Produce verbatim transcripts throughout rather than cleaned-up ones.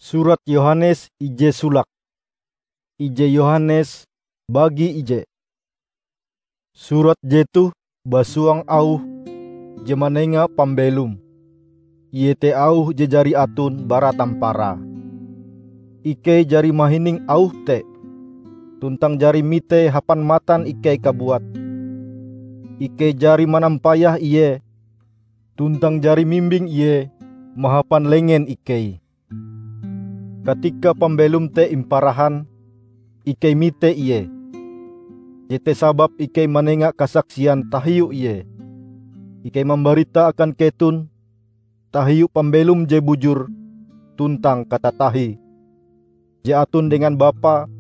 Surat Yohanes ije solake. Ije Yohanes bagi ije. Surat jetoh basuang auh je manenga pambelom, iete auh je jari aton bara tamparae. Ikei jari mahining auh te, tuntang jari mitee hapan matan ikei kabuat. Ikei jari manampayah ie, tuntang jari mimbing ie mahapan lengen ikei. Katika pambelom te imparahan, ikei mite ie. Jete sababe ikei manenga kasaksian tahiu ie. Ikei mambarita akan keton tahiu pambelom je bujur tuntang katatahie, je aton dengan Bapa,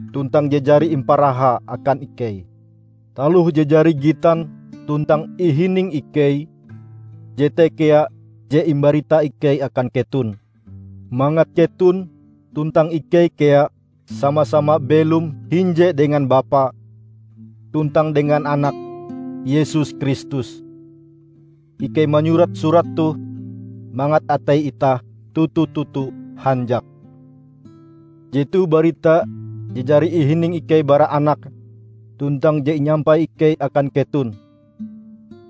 tuntang je jari imparahae akan ikei. Taloh je jari gitan tuntang ihining ikei, jete kea je imbarita ikei akan keton, mangat keton tuntang ikei kea sama-sama belom hinje dengan Bapa tuntang dengan Anak, Yesus Kristus. Ikei manyurat surat toh mangat atei itah toto-toto hanjak. Jetoh barita je jari ihining ikei bara Anak, tuntang je inyampai ikei akan keton.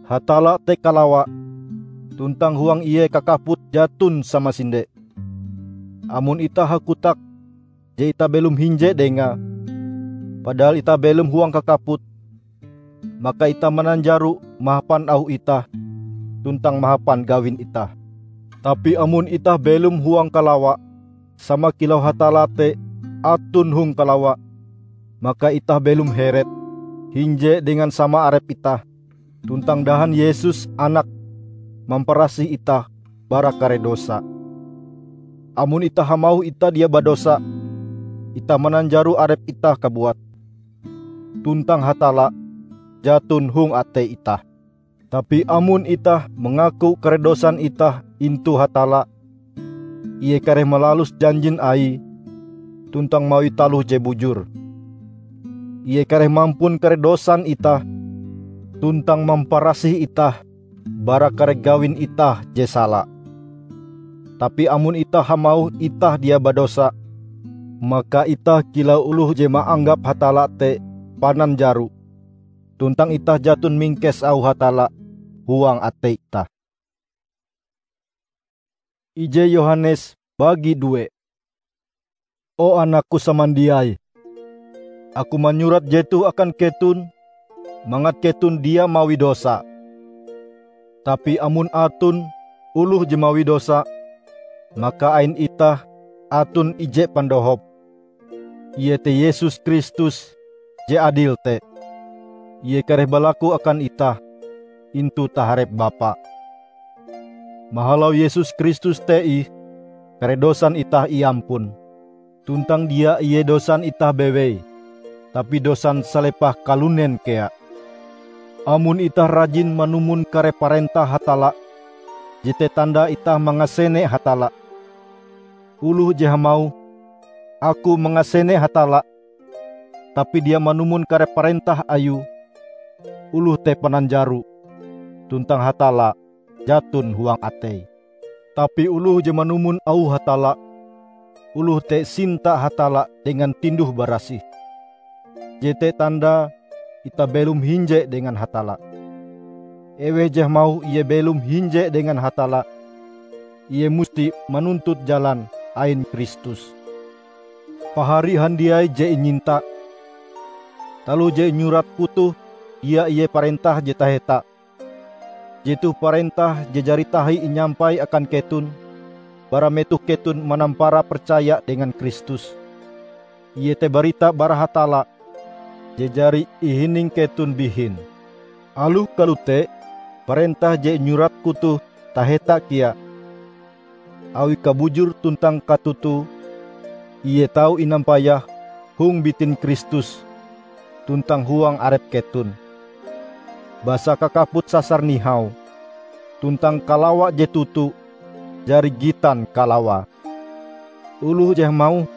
Hatalla te kalawa, tuntang huang Ie kakaput jaton samasinde. Amon itah hakotak je itah belom hinje Dengae, padahal itah belom huang kakaput, maka itah mananjaro mahapan auh itah tuntang mahapan gawin itah. Tapi amon itah belom huang kalawa, sama kilau Hatalla te aton hong kalawa, maka itah belom heret hinje dengan sama arep itah. Tuntang dahan Yesus Anake mamparasih itah bara kare dosa. Amon itah hamauh itah dia badosa, itah mananjaro arep itah kabuat, tuntang Hatalla jaton hong atei itah. Tapi amon itah mangaku kare dosan itah intu Hatalla, Ie kareh malalus janjin Aie tuntang mawie taloh je bujur. Ie kareh mampun kare dosan itah tuntang mamparasih itah bara kare gawin itah je sala. Tapi amon itah hamauh itah dia badosa, maka itah kilau oloh je maanggap Hatalla te pananjaro, tuntang itah jaton mingkes auh Hatalla huang atei itah. Ije Yohanes bagi due. O anakku samandiai, aku manyurat jetoh akan keton mangat keton dia mawi dosa. Tapi amon aton oloh je mawi dosa, maka ain itah aton ije pandohop, iete Yesus Kristus je adil te. Ie kareh balaku akan itah intu taharep Bapa. Mahalau Yesus Kristus te ih, kare dosan itah iampun. Tuntang dia ie dosan itah bewei, tapi dosan salepah kalunen kea. Amon itah rajin manumon kare parentah Hatalla, jete tanda itah mangasene Hatalla. Oloh je hamauh, "Aku mangasene Hatalla," tapi dia manumon kare parentah Ayue, oloh te pananjaro, tuntang Hatalla jaton huang ateie. Tapi oloh je manumon auh Hatalla, oloh te sinta Hatalla dengan tinduh-barasih. Jete tandae itah belom hinje dengan Hatalla. Eweh je hamauh ie belom hinje dengan Hatalla, ie musti manuntut jalan ain Kristus. Pahari handiai je inyinta, taloh je inyuratku toh dia ie parentah je taheta. Jetoh parentah je jari tahi inyampai akan keton bara metoh keton manampara percaya dengan Kristus, iete barita bara Hatalla je jari ihining keton bihin. Aloh kalote, parentah je inyuratku toh taheta kea, awi kabujur tuntang katoto ie tau inampayah hong bitin Kristus tuntang huang arep keton. Basa kakaput sasar nihau, tuntang kalawa je toto jari gitan kalawae. Oloh je hamauh,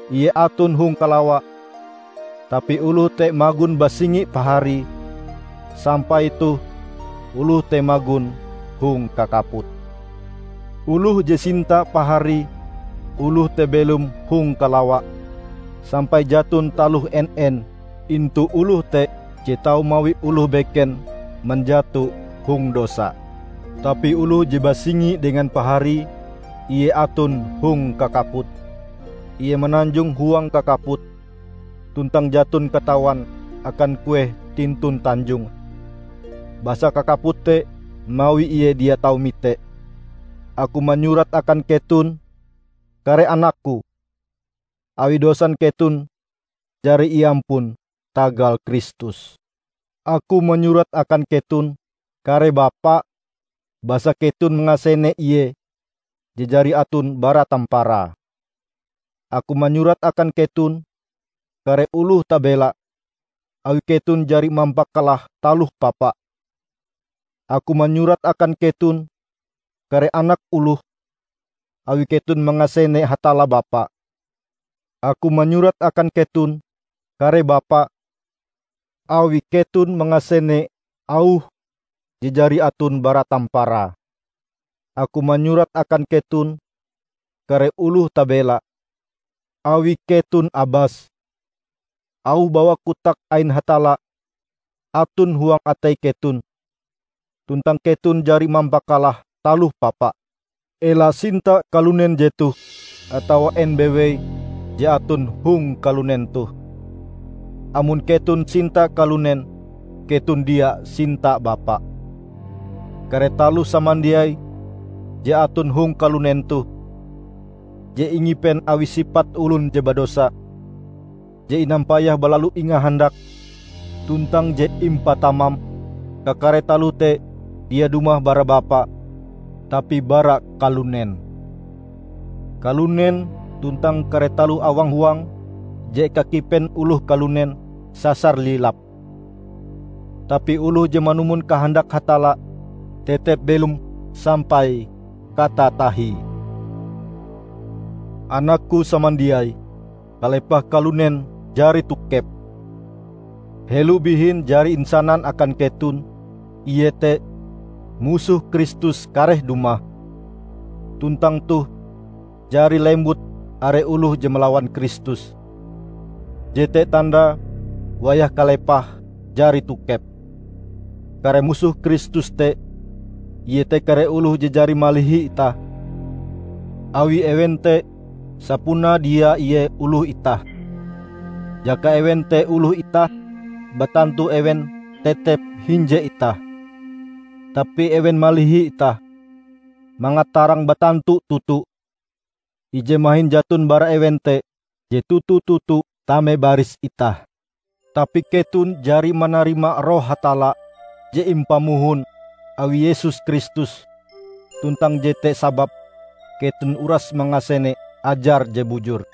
"Ie aton hong kalawa," tapi oloh te magon basingi paharie, sampai toh oloh te magon hong kakaput. Oloh je sinta paharie oloh te belom hong kalawa, sampai jaton taloh en-en intu oloh te je tau mawi oloh beken manjato hong dosa. Tapi oloh je basingi dengan paharie, ie aton hong kakaput. Ie mananjong huang kakaput, tuntang jaton katawan akan kueh tintun tanjonge, basa kakaput te mawi ie dia tau mite. Aku manyurat akan keton, kare anakku, awi dosan keton jari iampun tagal Kristus. Aku manyurat akan keton, kare bapa, basa keton mangasene Ie je jari aton bara tamparae. Aku manyurat akan keton, kare oloh tabela, awi keton jari mampakalah taloh papa. Aku manyurat akan keton, kare anak oloh, awi keton mangasene Hatalla Bapa. Aku manyurat akan keton, kare bapa, awi keton mangasene auh je jari aton bara tamparae. Aku manyurat akan keton, kare oloh tabela, awi keton abas. Auh bawa kotak ain Hatalla aton huang atei keton, tuntang keton jari mampakalah taloh papa. Ela sinta kalunen jetoh atawa en bewei je aton hong kalunen toh. Amon keton sinta kalunen, keton dia sinta Bapa. Kare taloh samandiai je aton hong kalunen toh, je ingipen awi sipat olon je badosa, je inampayah balalu ingahandak, tuntang je impatamam, kakare taloh te dia dumah bara Bapa, tapi bara kalunen. Kalunen tuntang kare taloh awang-huang je kakipen oloh kalunen sasar lilap. Tapi oloh je manumon kahandak Hatalla tetep belom sampai katatahie. Anakku samandiai, kalepah kalunen jari tokep. Helo bihin jari insanan akan keton, iete, musoh Kristus kareh dumah. Tuntang toh jari lembut are oloh je malawan Kristus. Jete tandae wayah kalepah jari tokep. Kare musoh Kristus te, iete kare oloh je jari malihi itah. Awi ewen te sapunae dia ie oloh itah. Jaka ewen te oloh itah, batantu ewen tetep hinje itah. Tapi ewen malihi itah, mangat tarang batantu toto ije mahin jaton bara ewen te je toto-toto tame baris itah. Tapi keton jari manarima Roh Hatalla je impamohon awi Yesus Kristus, tuntang jete sababe keton uras mangasene ajar je bujur.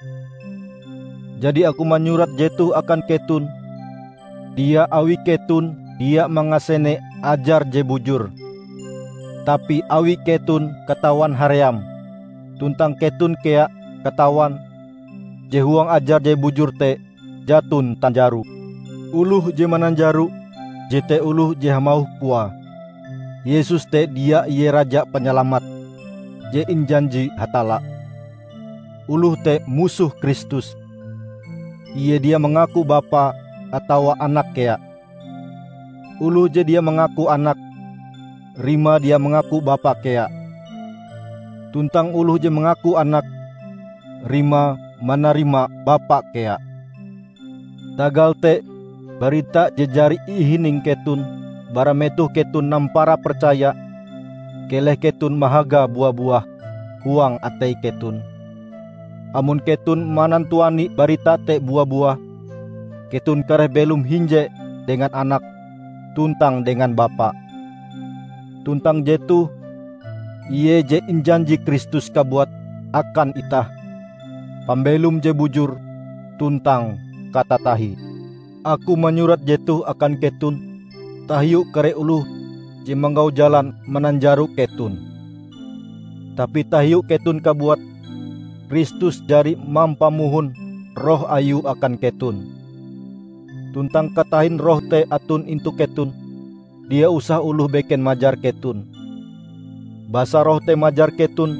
Jadi aku manyurat jetoh akan keton, dia awi keton dia mangasene ajar je bujur, tapi awi keton katawan haream, tuntang keton kea katawan je huang ajar je bujur te jaton tanjaro. Oloh je mananjaro jete oloh je hamauh koae, Yesus te dia ie Raja Panyalamat je injanji Hatalla. Oloh te musoh Kristus. Ie dia mangaku Bapa atawa Anak kea. Oloh je dia mangaku Anak, rimae dia mangaku Bapa kea. Tuntang oloh je mangaku Anak, rimae manarima Bapa kea. Tagal te, barita je jari ihining keton bara metoh keton nampara percaya, keleh keton mahaga bua-buah huang atei keton. Amon keton manantuani barita te bua-buah, keton kareh belom hinje dengan Anak tuntang dengan Bapa. Tuntang jetoh, ie je injanji Kristus kabuat akan itah, pambelom je bujur tuntang katatahie. Aku manyurat jetoh akan keton tahiu kare oloh je manggau jalan mananjaro keton. Tapi tahiu keton kabuat, Kristus jari mampamohon Roh Ayue akan keton. Tuntang katahin Roh te aton intu keton, dia usah oloh beken majar keton. Basa Roh te majar keton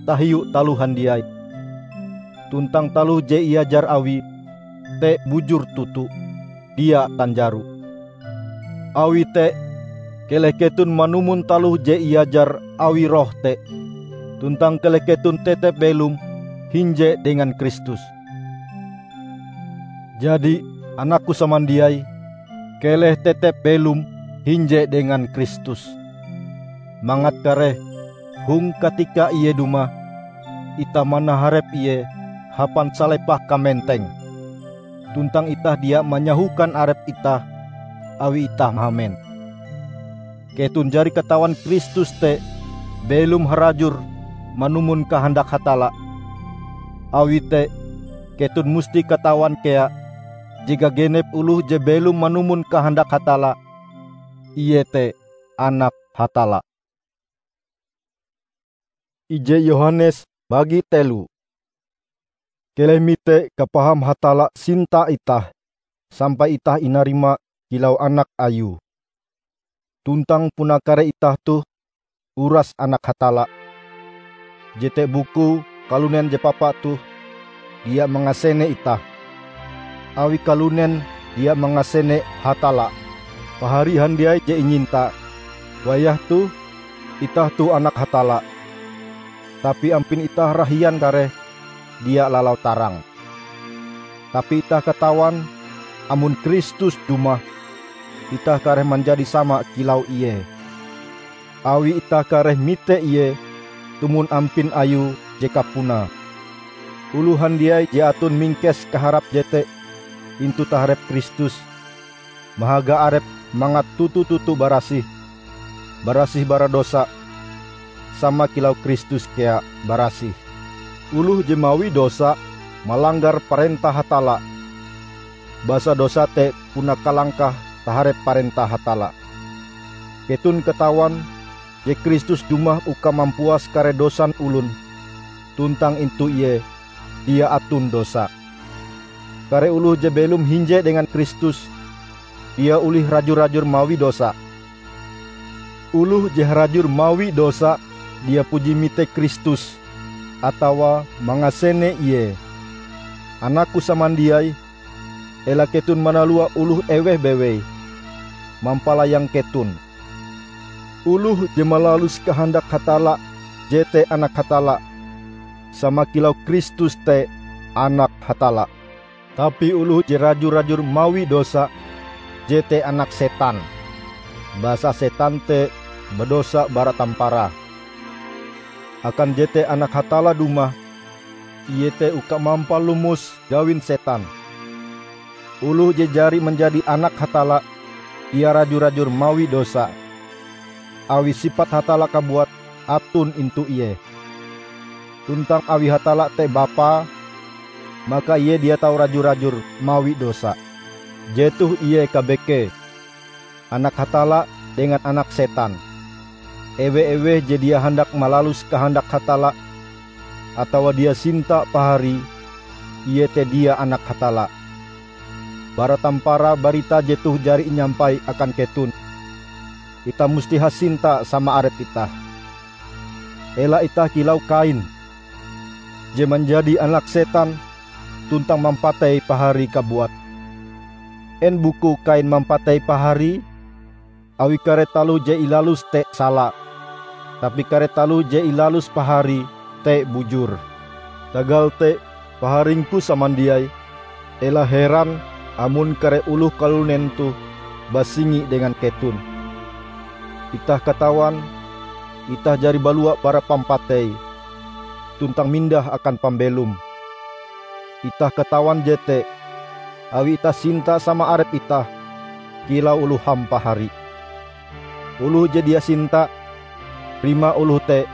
tahiu taloh handiai. tuntang taloh je iajar Awie te bujur toto, dia tanjaro. Awi te, keleh keton manumon taloh je iajar awi Roh te, tuntang keleh keton tetep belom hinje dengan Kristus. Jadi, anakku samandiai, keleh tetep belom hinje dengan Kristus, mangat kareh hong katika Ie dumah, itah manaharep Ie hapan salepah kamenteng, tuntang itah dia manyahokan arep itah awi itah mahamen. Keton jari katawan Kristus te belom harajur manumon kahandak Hatalla. Awi te, keton musti katawan kea je gagenep oloh je belom manumon kahandak Hatalla, ie te anak Hatalla. Ije Yohanes bagi telo. Keleh mite kapaham Hatalla sinta itah, sampai itah inarima kilau anak Ayue. Tuntang puna kare itah toh uras anak Hatalla. Jete bukue kalunen je papa toh dia mangasene itah, awi kalunen dia mangasene Hatalla. Pahari handiai je inyinta, wayah toh itah toh anak Hatalla, tapi ampin itah rahian kareh dia lalau tarang. Tapi itah katawan, amon Kristus dumah, itah kareh manjadi sama kilau Ie, awi itah kareh mite Ie tumon ampin Ayue je kapunae. Oloh handiai je aton mingkes kaharap jete intu taharep Kristus, mahaga arepe mangat toto-toto barasih, barasih bara dosa, sama kilau Kristus kea barasih. Oloh je mawi dosa malanggar parentah Hatalla, basa dosa te puna kalangkah taharep parentah Hatalla. Keton katawan je Kristus dumah uka mampuas kare dosan olon, tuntang intu Ie dia aton dosa. Kare oloh je belom hinje dengan Kristus dia olih raju-rajur mawi dosa. Oloh je harajur mawi dosa dia puji mite Kristus atawa mangasene Ie. Anakku samandiai, ela keton manalua oloh eweh bewei mampalayang keton. Oloh je malalus kahandak Hatalla, jete anak Hatalla, sama kilau Kristus te anak Hatalla. Tapi oloh je raju-rajur mawi dosa, jete anak setan, basa setan te badosa bara tamparae. Akan jete Anak Hatalla dumah, Ie te uka mampalomos gawin setan. Oloh je jari manjadi anak Hatalla, dia raju-rajur mawi dosa, awi sipat Hatalla kabuat aton intu ie. Tuntang awi Hatalla te Bapa, maka Ie dia tau raju-rajur mawi dosa. Jetoh ie kabekee, anak Hatalla dengan anak setan. Ewe-eweh je dia handak malalus kahandak Hatalla, atawa dia sinta paharie, ie te dia anak Hatalla. Bara tamparae barita jetoh jari inyampai akan keton, itah musti hasinta sama arep itah. Ela itah kilau Kain, je manjadi anak setan tuntang mampatei paharie kabuat. En bukue Kain mampatei paharie? Awi kare taloh je ilaluse te sala, tapi kare taloh je ilalus paharie te bujur. Tagal te, paharingku samandiai, ela heran amon kare oloh kalunen toh basingi dengan keton. Itah katawan, itah jari balua bara pampatei, tuntang mindah akan pambelom. Itah katawan jete, awi itah sinta sama arep itah, kilau oloh hampahari. Oloh je dia sinta, rimae oloh te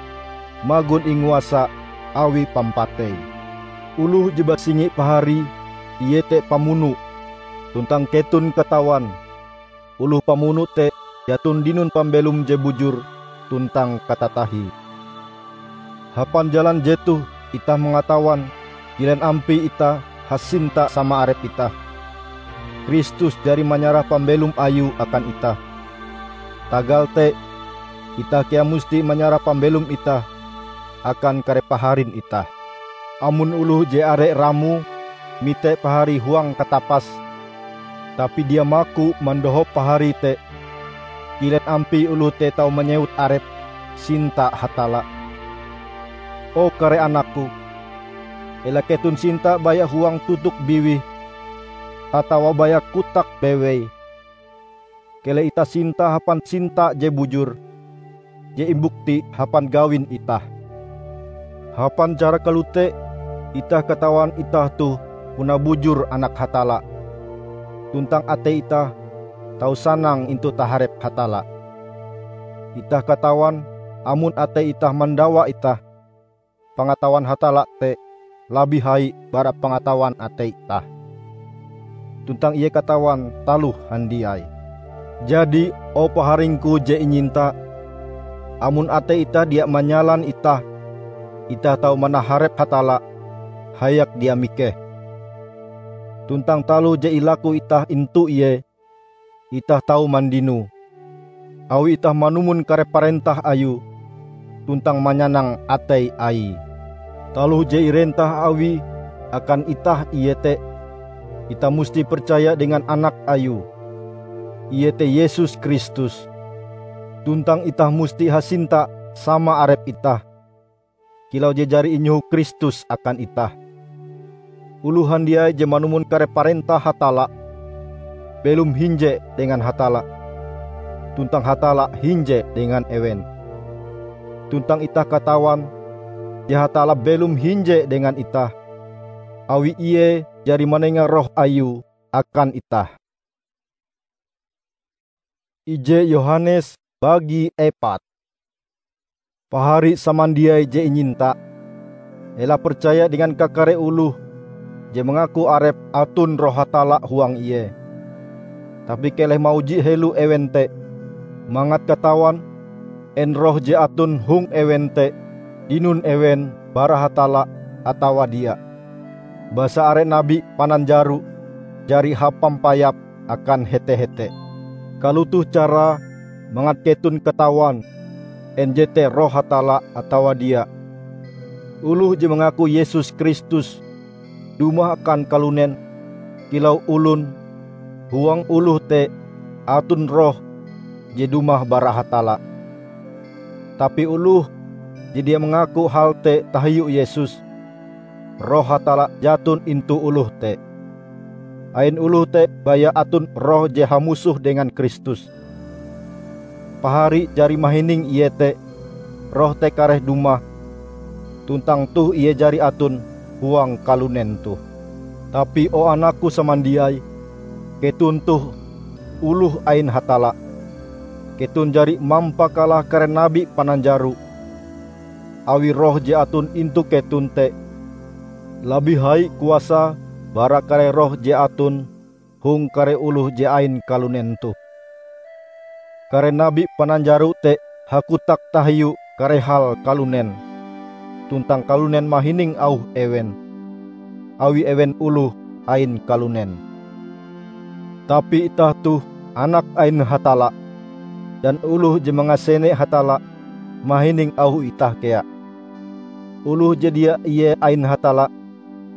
magon inguasa awi pampatei. Oloh je basingi paharie, ie te pamuno, tuntang keton katawan, oloh pamuno te jaton dinon pambelom je bujur tuntang katatahie. Hapan jalan jetoh itah mangatawan kilen ampie itah hasinta sama arep itah. Kristus jari manyarah pambelom Ayue akan itah. Tagal te, itah kea musti manyarah pambelom itah akan kare paharin itah. Amon oloh je are ramoe mite pahari huang katapas, tapi dia maku mandohop pahari te, kilen ampie oloh te tau manyewut arepe sinta Hatalla? O kare anakku, ela keton sinta baya huang tutuk biwih atawa baya kotak bewei. Keleh itah sinta hapan sinta je bujur, je imbukti hapan gawin itah. Hapan cara kalote, itah katawan itah toh puna bujur anak Hatalla, tuntang atei itah tau sanang intu taharep Hatalla. Itah katawan amon atei itah mandawa itah, pangatawan Hatalla te labih hai bara pangatawan atei itah, tuntang Ie katawan taloh handiai. Jadi, o paharingku je inyinta, amon atei itah dia manyalan itah, itah tau manaharep Hatalla hayak dia mikeh. Tuntang taloh je ilaku itah intu Ie, itah tau mandinoe, awi itah manumon kare parentah Ayue tuntang manyanang atei Aie. Taloh je irentah Awie akan itah iete, itah musti percaya dengan Anak Ayue, iete Yesus Kristus, tuntang itah musti hasinta sama arep itah, kilau je jari inyoho Kristus akan itah. Oloh handiai je manumon kare parentah Hatalla, belom hinje dengan Hatalla, tuntang Hatalla hinje dengan ewen. Tuntang itah katawan je Hatalla belom hinje dengan itah, awi Ie jari manenga Roh Ayue akan itah. Ije Yohanes bagi epat. Pahari samandiai je inyinta, ela percaya dengan kakare oloh je mangaku arepe aton Roh Hatalla huang ie. Tapi keleh mauji helo ewen te, mangat katawan en Roh je aton hong ewen te dinon ewen bara Hatalla atawa dia. Basa are nabi pananjaro jari hapampayap akan hete-hete. Kalotoh carae mangat keton katawan en jete Roh Hatalla atawa dia. Oloh je mangaku Yesus Kristus dumah akan kalunen kilau olon, huang oloh te aton Roh je dumah bara Hatalla. Tapi oloh je dia mangaku hal te tahiu Yesus, Roh Hatalla jaton intu oloh te. Ain oloh te baya aton roh je hamusoh dengan Kristus. Pahari jari mahining iete Roh te kareh dumah, tuntang toh ie jari aton huang kalunen toh. Tapi, o anakku samandiai, keton toh oloh ain Hatalla. Keton jari mampakalah kare nabi pananjaro, awi Roh je aton intu keton te labih hai kuasae bara kare roh je aton hong kare oloh je ain kalunen toh. Kare nabi pananjaro te hakotak tahiu kare hal kalunen, tuntang kalunen mahining auh ewen, awi ewen oloh ain kalunen. Tapi itah toh anak ain Hatalla, dan oloh je mangasene Hatalla mahining auh itah kea. Oloh je dia ie ain Hatalla,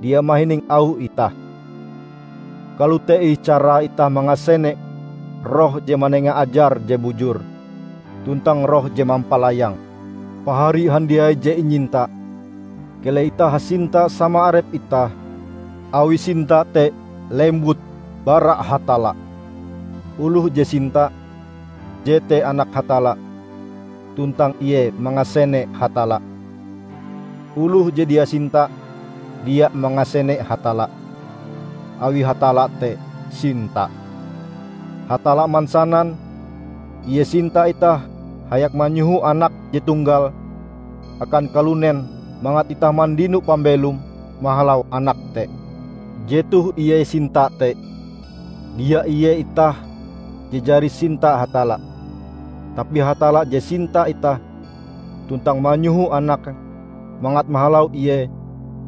dia mahining auh itah. Kalote ih carae itah mangasene Roh je manenga ajar je bujur, tuntang Roh je mampalayang. Pahari handiai je inyinta, keleh itah hasinta sama arep itah, awi sinta te lembut bara Hatalla. Oloh je sinta, jete anak Hatalla, tuntang ie mangasene Hatalla. Oloh je dia sinta, dia mangasene Hatalla, awi Hatalla te sinta. Hatalla mansanan Ie sinta itah hayak manyoho Anak je tunggal akan kalunen mangat itah mandino pambelom mahalau Anak te. Jetoh ie sinta te. Dia ie itah je jari sinta Hatalla, tapi Hatalla je sinta itah tuntang manyoho Anake mangat mahalau Ie,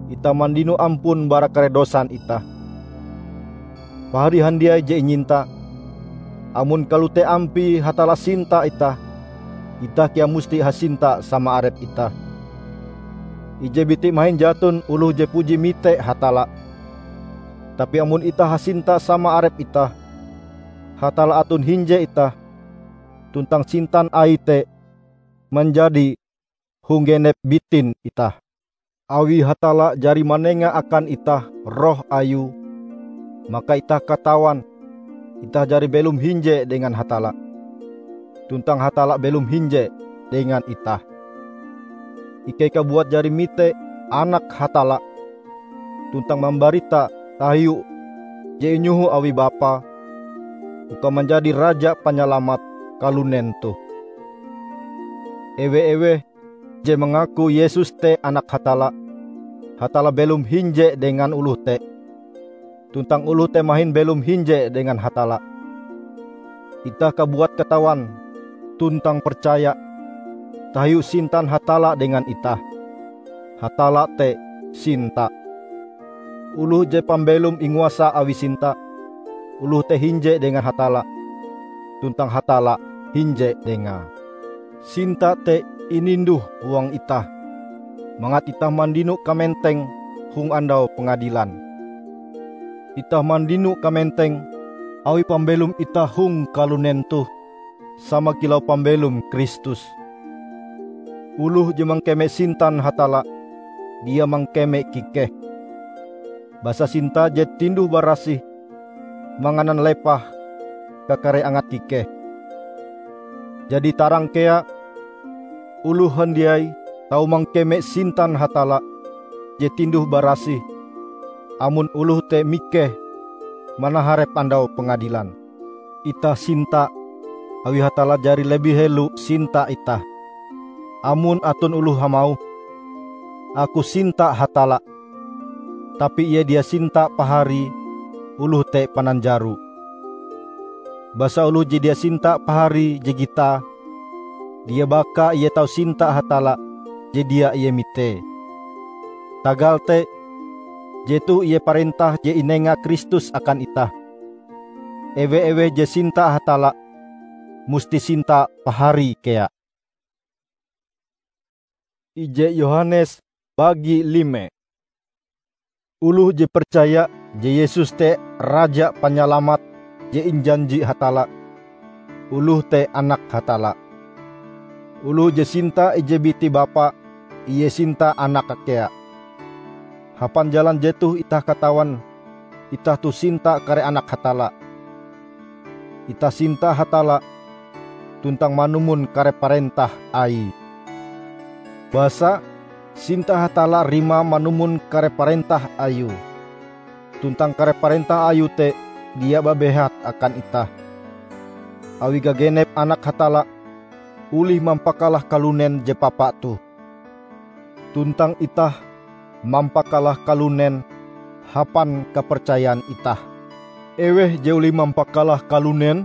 itah mandino ampun bara kare dosan itah. Pahari handiai je inyinta, amon kalote ampie Hatalla sinta itah, itah kea musti hasinta sama arep itah. Ije biti mahin jaton oloh je puji mite Hatalla. Tapi amon itah hasinta sama arep itah, Hatalla aton hinje itah, tuntang sintan Aie te manjadi hong genep bitin itah. Awi Hatalla jari manenga akan itah Roh Ayue, maka itah katawan itah jari belom hinje dengan Hatalla, tuntang Hatalla belom hinje dengan itah. Ikei kabuat jari mite Anak Hatalla, tuntang mambarita tahiu je inyoho awi Bapa uka manjadi Raja Panyalamat kalunen toh. Ewe-eweh je mangaku Yesus te Anak Hatalla, Hatalla belom hinje dengan oloh te, tuntang oloh te mahin belom hinje dengan Hatalla. Itah kabuat katawan tuntang percaya tahiu sintan Hatalla dengan itah. Hatalla te sinta. Oloh je pambelom inguasa awi sinta, oloh te hinje dengan Hatalla, tuntang Hatalla hinje dengae. Sinta te ininduh huang itah, mangat itah mandino kamenteng hong Andau Pengadilan. Itah mandino kamenteng awi pambelom itah hong kalunen toh, sama kilau pambelom Kristus. Oloh je mangkeme sintan Hatalla, dia mangkeme kikeh. Basa sinta je tinduh-barasih manganan lepah kakare angat kikeh. Jadi tarang kea, oloh handiai tau mangkeme sintan Hatalla je tinduh-barasih, amon oloh te mikeh manaharep Andau Pengadilan. Itah sinta, awi Hatalla jari lebih helo sinta itah. Amon aton oloh hamauh, "Aku sinta Hatalla," tapi ie dia sinta paharie, oloh te pananjaro. Basa oloh je dia sinta paharie je gitae, dia baka ie tau sinta Hatalla je dia ie mitee. Tagal te, jetoh ie parentah je inenga Kristus akan itah. Ewe-eweh je sinta Hatalla, musti sinta paharie kea. Ije Yohanes bagi lime. Oloh je percaya je Yesus te Raja Panyalamat je injanji Hatalla, oloh te anak Hatalla. Oloh je sinta ije biti Bapa, ie sinta Anak kea. Hapan jalan jetoh itah katawan itah toh sinta kare anak Hatalla. Itah sinta Hatalla tuntang manumon kare parentah Aie. Basa, sinta Hatalla rimae manumon kare parentah Ayue. Tuntang kare parentah Ayue te dia babehat akan itah. Awi gagenep anak Hatalla olih mampakalah kalunen je papa toh. Tuntang itah mampakalah kalunen hapan kapercayan itah. Eweh je olih mampakalah kalunen?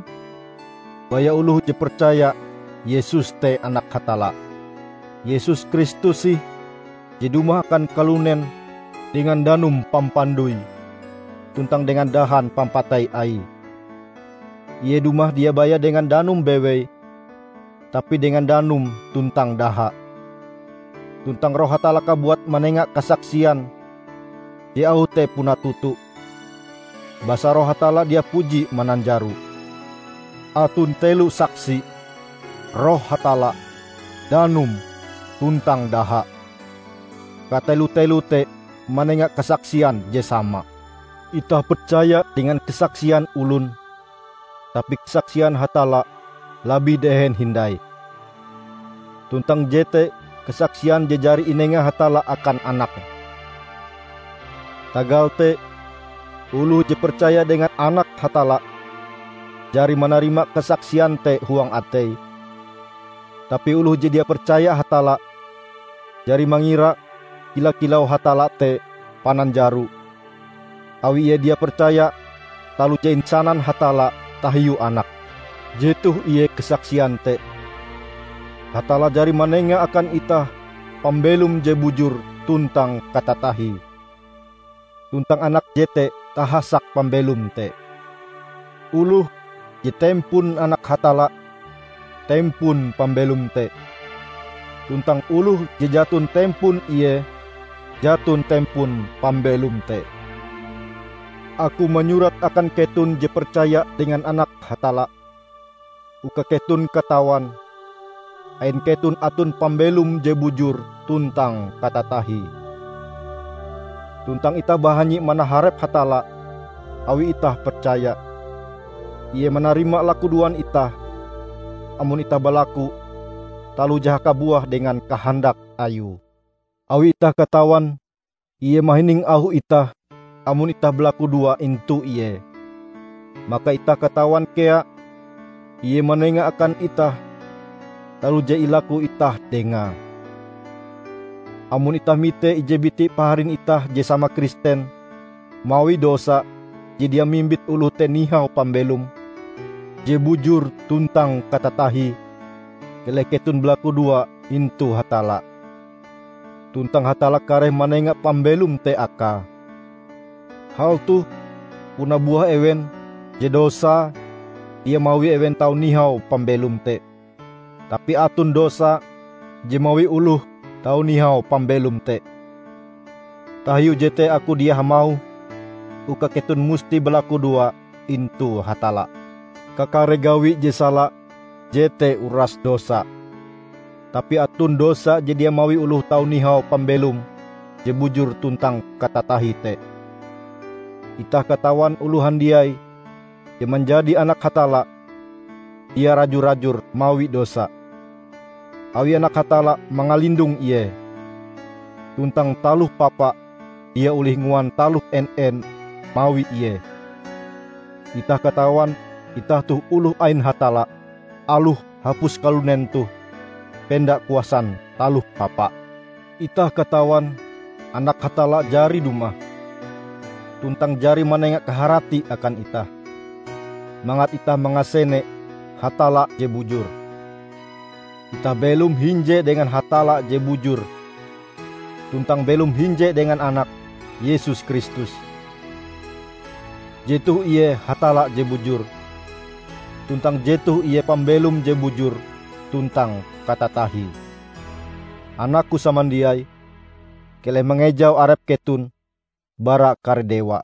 Baya oloh je percaya Yesus te Anak Hatalla. Yesus Kristus ih je dumah akan kalunen dengan danum pampandoi tuntang dengan dahan pampatei Aie. Ie dumah dia baya dengan danum bewei, tapi dengan danum tuntang daha. Tuntang Roh Hatalla kabuat manenga kasaksian je auhe te puna toto. Basa Roh Hatalla dia puji mananjaro. Aton telo saksi, Roh Hatalla, danum, tuntang daha. Katelo-telo te manenga kasaksian je sama. Itah percaya dengan kasaksian olon, tapi kasaksian Hatalla labih dehen hindai. Tuntang jete kasaksian je jari inenga Hatalla akan Anake. Tagal te, oloh je percaya dengan Anak Hatalla jari manarima kasaksian te huang ateie. Tapi oloh je dia percaya Hatalla, jari mangira kila-kilau Hatalla te pananjaro, awi ie dia percaya taloh je insanan Hatalla tahiu Anake. Jetoh ie kasaksian te: Hatalla jari manenga akan itah pambelom je bujur tuntang katatahie. Tuntang Anak jete kahasak pambelom te. Oloh je tempon Anak Hatalla, tempon pambelom te. Tuntang oloh je jaton tempon Ie, jaton tempon pambelom te. Aku manyurat akan keton je percaya dengan Anak Hatalla, uka keton katawan, ain keton aton pambelom je bujur tuntang katatahie. Tuntang itah bahanyi manaharep Hatalla, awi itah percaya. Ie manarima lakudoan itah, amon itah balaku taloh je hakabuah dengan kahandak Ayue. Awi itah katawan, Ie mahining auh itah amon itah balakudoa intu Ie. Maka itah katawan kea Ie manenga akan itah taloh je ilaku itah Dengae. Amon itah mite ije biti paharin itah je sama Kristen mawi dosa je dia mimbit oloh te nihau pambelom je bujur tuntang katatahie, keleh keton balakudoa intu Hatalla, tuntang Hatalla kareh manenga pambelom te akae. Hal toh puna buah ewen je dosae dia mawi ewen tau nihau pambelom te. Tapi aton dosa je mawi oloh tau nihau pambelom te. Tahiu jete aku dia hamauh uka keton musti balakudoa intu Hatalla. Kakare gawi je sala jete uras dosa. Tapi aton dosa je dia mawi oloh tau nihau pambelom je bujur tuntang katatahie te. Itah katawan oloh handiai je manjadi anak Hatalla dia raju-rajur mawi dosa, awi Anak Hatalla mangalindong ie, tuntang taloh papa dia olih nguan taloh en-en mawi ie. Itah katawan itah toh oloh ain Hatalla, aloh hapus kalunen toh penda kuasan taloh papa. Itah katawan Anak Hatalla jari dumah, tuntang jari manenga kaharati akan itah, mangat itah mangasene Hatalla je bujur. Itah belom hinje dengan Hatalla je bujur, tuntang belom hinje dengan Anake, Yesus Kristus. Jetoh ie Hatalla je bujur, tuntang jetoh ie pambelom je bujur tuntang katatahie. Anakku samandiai, keleh mangejau arep keton bara kare dewa.